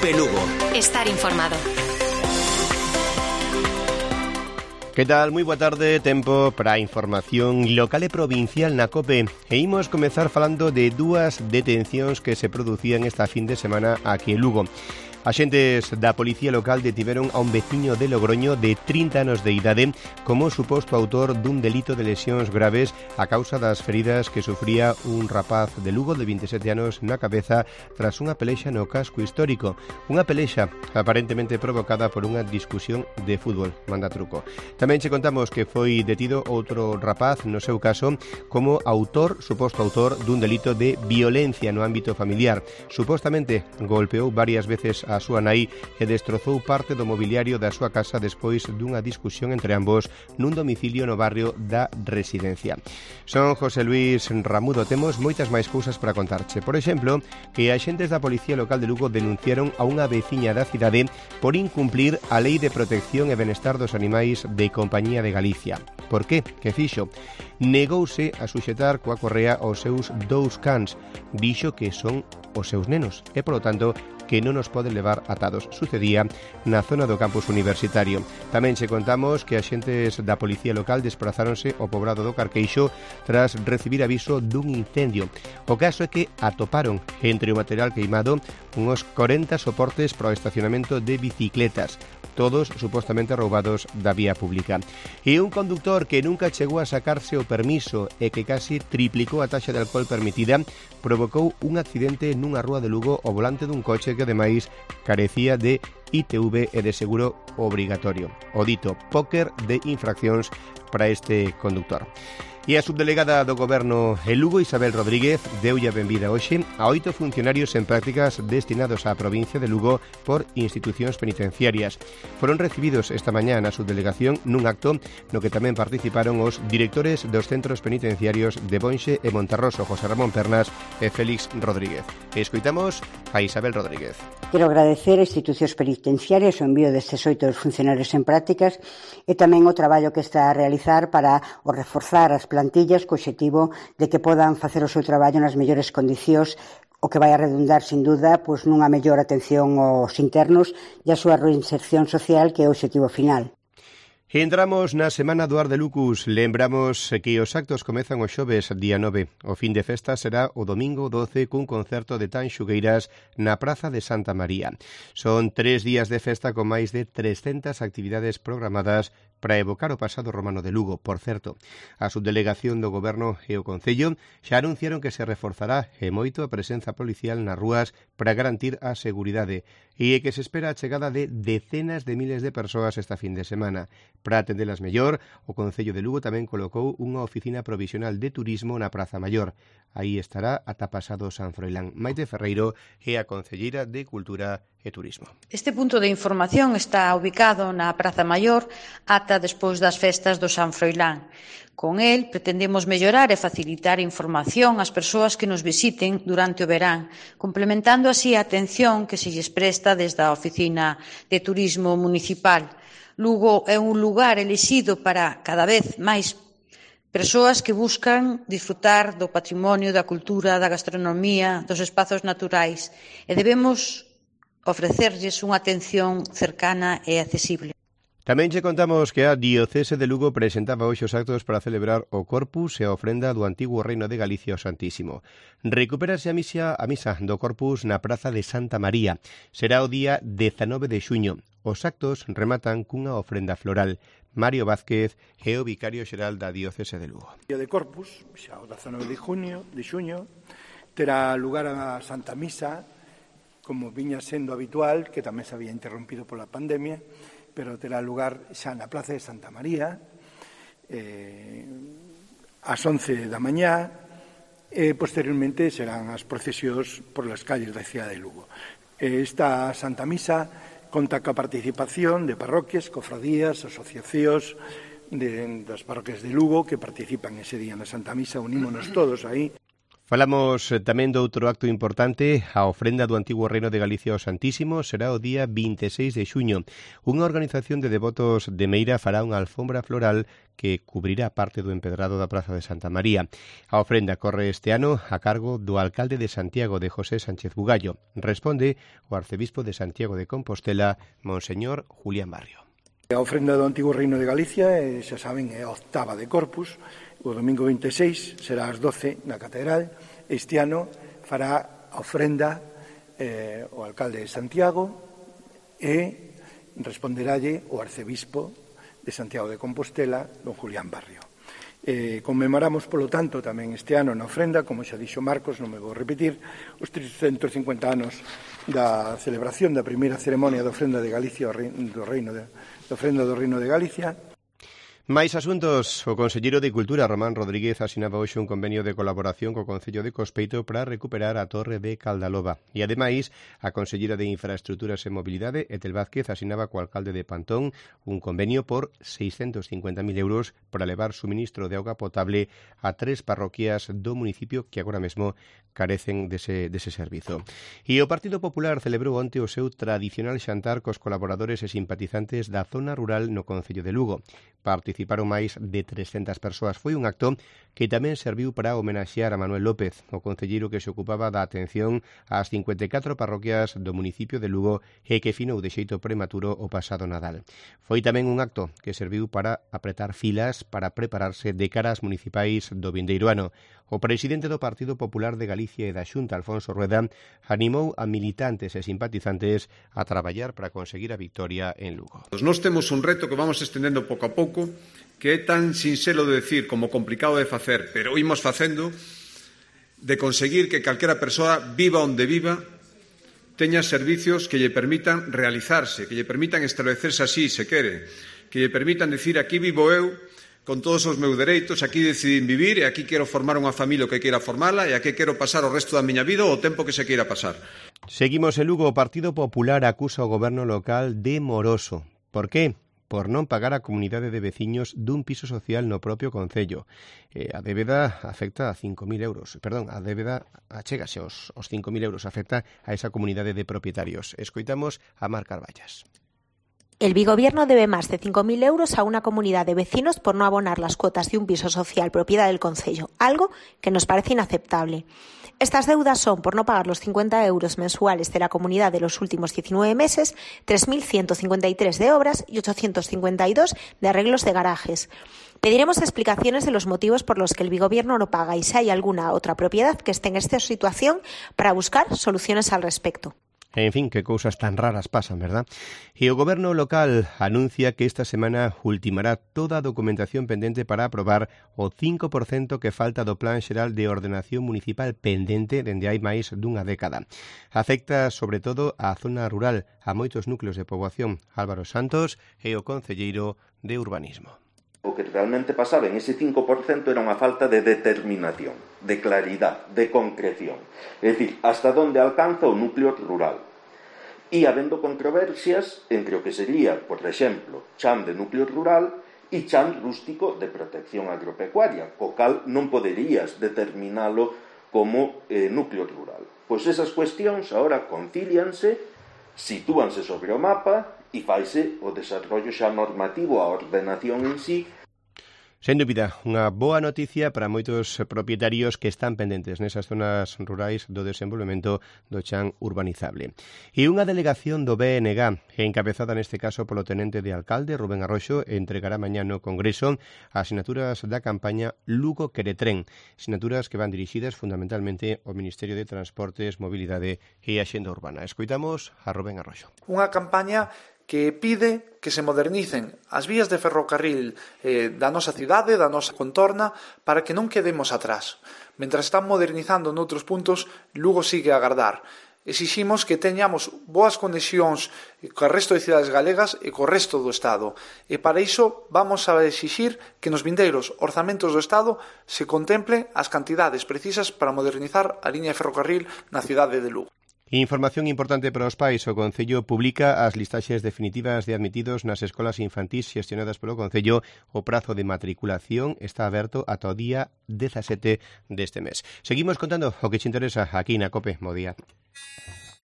COPE Lugo. Estar informado. Que tal? Moi boa tarde, tempo para a información local e provincial na COPE. E imos comezar falando de dúas detencións que se producían esta fin de semana aquí en Lugo. Axentes da Policía Local detiveron a un veciño de Logroño de 30 anos de idade como suposto autor dun delito de lesións graves a causa das feridas que sufría un rapaz de Lugo de 27 anos na cabeza tras unha pelexa no casco histórico. Unha pelexa aparentemente provocada por unha discusión de fútbol, manda truco. Tamén che contamos que foi detido outro rapaz, no seu caso, como suposto autor dun delito de violencia no ámbito familiar. Supostamente golpeou varias veces a súa nai e destrozou parte do mobiliario da súa casa despois dunha discusión entre ambos nun domicilio no barrio da Residencia. Son José Luis Ramudo, temos moitas máis cousas para contarche. Por exemplo, que axentes da Policía Local de Lugo denunciaron a unha veciña da cidade por incumplir a Lei de Protección e Benestar dos Animais de Compañía de Galicia. Por qué? Que fixo? Negouse a suxetar coa correa aos seus 2 cans. Dixo que son os seus nenos e, polo tanto, que non nos pode levar atados. Sucedía na zona do campus universitario. Tamén che contamos que axentes da Policía Local desprazáronse ao pobrado do Carqueixo tras recibir aviso dun incendio. O caso é que atoparon entre o material queimado uns 40 soportes para o estacionamento de bicicletas, todos supostamente roubados da vía pública. E un conductor que nunca chegou a sacarse o permiso e que casi triplicou a taxa de alcohol permitida provocou un accidente nunha rúa de Lugo ao volante dun coche que ademais carecía de ITV e de seguro obrigatorio. O dito póker de infraccións para este conductor. E a subdelegada do Goberno en Lugo, Isabel Rodríguez, deulle a benvida hoxe a 8 funcionarios en prácticas destinados á provincia de Lugo por institucións penitenciarias. Foron recibidos esta mañá na subdelegación nun acto no que tamén participaron os directores dos centros penitenciarios de Bonxe e Monterroso, José Ramón Pernas e Félix Rodríguez. E escoitamos a Isabel Rodríguez. Quero agradecer a institucións penitenciarias o envío destes 8 funcionarios en prácticas e tamén o traballo que está a realizar para o reforzar as plantillas co obxectivo de que podan facer o seu traballo nas mellores condicións, o que vai a redundar, sin duda, nunha mellor atención aos internos e a súa reinserción social, que é o obxectivo final. Entramos na Semana do Ar de Lucus. Lembramos que os actos comezan o xoves día 9. O fin de festa será o domingo 12 cun concerto de Tanxugueiras na Praza de Santa María. Son 3 días de festa con máis de 300 actividades programadas para evocar o pasado romano de Lugo. Por certo, a subdelegación do Goberno e o Concello xa anunciaron que se reforzará e moito a presenza policial nas rúas para garantir a seguridade e que se espera a chegada de decenas de miles de persoas esta fin de semana. Para atendelas mellor, o Concello de Lugo tamén colocou unha oficina provisional de turismo na Praza Maior. Aí estará ata pasado San Froilán. Maite Ferreiro é a concelleira de Cultura e Turismo. Este punto de información está ubicado na Praza Maior ata despois das festas do San Froilán. Con el pretendemos mellorar e facilitar información ás persoas que nos visiten durante o verán, complementando así a atención que se lles presta desde a Oficina de Turismo Municipal. Lugo é un lugar elixido para cada vez máis persoas que buscan disfrutar do patrimonio, da cultura, da gastronomía, dos espazos naturais e debemos ofrecerlles unha atención cercana e accesible. Tamén che contamos que a Diocese de Lugo presentaba hoxe os actos para celebrar o Corpus e a ofrenda do antigo Reino de Galicia ao Santísimo. Recupérase a misa do Corpus na Praza de Santa María. Será o día 19 de xuño. Os actos rematan cunha ofrenda floral. Mario Vázquez é o vicario xeral da Diocese de Lugo. O día de Corpus, xa o 19 de xuño, terá lugar a Santa Misa, como viña sendo habitual, que tamén se había interrompido pola pandemia, pero terá lugar xa na Plaza de Santa María, ás 11 da mañá, e posteriormente serán as procesións por las calles da cidade de Lugo. Esta Santa Misa conta coa participación de parroquias, cofradías, asociacións das parroquias de Lugo que participan ese día na Santa Misa, unímonos todos aí. Falamos tamén do outro acto importante, a ofrenda do antigo Reino de Galicia ao Santísimo será o día 26 de xuño. Unha organización de devotos de Meira fará unha alfombra floral que cubrirá parte do empedrado da Praza de Santa María. A ofrenda corre este ano a cargo do alcalde de Santiago, de José Sánchez Bugallo. Responde o arcebispo de Santiago de Compostela, Monseñor Julián Barrio. A ofrenda do antigo Reino de Galicia, xa saben, é a octava de Corpus. O domingo 26 será ás 12 na Catedral. Este ano fará a ofrenda o alcalde de Santiago e responderálle o arcebispo de Santiago de Compostela, don Julián Barrio. Conmemoramos, polo tanto, tamén este ano na ofrenda, como xa dixo Marcos, non me vou repetir, os 350 anos da celebración da primeira ceremonia de ofrenda de Galicia do Reino de Galicia. Máis asuntos. O conselleiro de Cultura, Román Rodríguez, asinaba hoxe un convenio de colaboración co Concello de Cospeito para recuperar a Torre de Caldaloba. E, ademais, a conselleira de Infraestruturas e Mobilidade, Etel Vázquez, asinaba co alcalde de Pantón un convenio por 650.000 euros para levar suministro de auga potable a 3 parroquias do municipio que agora mesmo carecen dese servizo. E o Partido Popular celebrou onte o seu tradicional xantar cos colaboradores e simpatizantes da zona rural no Concello de Lugo. Participaron máis de 300 persoas. Foi un acto que tamén serviu para homenaxear a Manuel López, o concelleiro que se ocupaba da atención ás 54 parroquias do municipio de Lugo e que finou de xeito prematuro o pasado Nadal. Foi tamén un acto que serviu para apretar filas para prepararse de cara ás municipais do vindeiro ano. O presidente do Partido Popular de Galicia e da Xunta, Alfonso Rueda, animou a militantes e simpatizantes a traballar para conseguir a victoria en Lugo. Nós temos un reto que vamos estendendo pouco a pouco, que é tan sinxelo de decir como complicado de facer, pero imos facendo, de conseguir que calquera persoa, viva onde viva, teña servicios que lle permitan realizarse, que lle permitan establecerse así, se quere, que lle permitan decir aquí vivo eu, con todos os meus dereitos, aquí decidín vivir e aquí quero formar unha familia que queira formala e aquí quero pasar o resto da miña vida o tempo que se queira pasar. Seguimos en Lugo. O Partido Popular acusa o goberno local de moroso. Por qué? Por non pagar a comunidade de veciños dun piso social no propio concello. A débeda afecta a 5.000 euros. Perdón, a débeda achégase aos 5.000 euros. Afecta a esa comunidade de propietarios. Escoitamos a Mar Carballas. El bigobierno debe más de 5.000 euros a una comunidad de vecinos por no abonar las cuotas de un piso social propiedad del concello, algo que nos parece inaceptable. Estas deudas son, por no pagar los 50 euros mensuales de la comunidad de los últimos 19 meses, 3.153 de obras y 852 de arreglos de garajes. Pediremos explicaciones de los motivos por los que el bigobierno no paga y si hay alguna otra propiedad que esté en esta situación para buscar soluciones al respecto. En fin, que cousas tan raras pasan, verdad? E o goberno local anuncia que esta semana ultimará toda a documentación pendente para aprobar o 5% que falta do Plan Xeral de Ordenación Municipal pendente dende hai máis dunha década. Afecta, sobre todo, á zona rural, a moitos núcleos de poboación. Álvaro Santos é o concelleiro de Urbanismo. O que realmente pasaba en ese 5% era unha falta de determinación, de claridad, de concreción. É dicir, hasta onde alcanza o núcleo rural. E habendo controversias entre o que sería, por exemplo, chan de núcleo rural e chan rústico de protección agropecuaria, co cal non poderías determinalo como núcleo rural. Pois esas cuestións agora concílianse, sitúanse sobre o mapa e faise o desarrollo xa normativo, a ordenación en sí. Sen dúbida, unha boa noticia para moitos propietarios que están pendentes nesas zonas rurais do desenvolvemento do chan urbanizable. E unha delegación do BNG, encabezada neste caso polo tenente de alcalde, Rubén Arroxo, entregará mañá no Congreso as sinaturas da campaña Lugo Queretren, sinaturas que van dirixidas fundamentalmente ao Ministerio de Transportes, Mobilidade e Axenda Urbana. Escoitamos a Rubén Arroxo. Unha campaña que pide que se modernicen as vías de ferrocarril da nosa cidade, da nosa contorna, para que non quedemos atrás. Mentras están modernizando noutros puntos, Lugo sigue a agardar. Exiximos que teñamos boas conexións co resto de cidades galegas e co resto do Estado. E para iso vamos a exixir que nos vindeiros orzamentos do Estado se contemple as cantidades precisas para modernizar a liña de ferrocarril na cidade de Lugo. Información importante para os pais. O Concello publica as listaxes definitivas de admitidos nas escolas infantís xestionadas polo Concello. O prazo de matriculación está aberto ata o día 17 deste mes. Seguimos contando o que te interesa aquí na COPE. Bo día.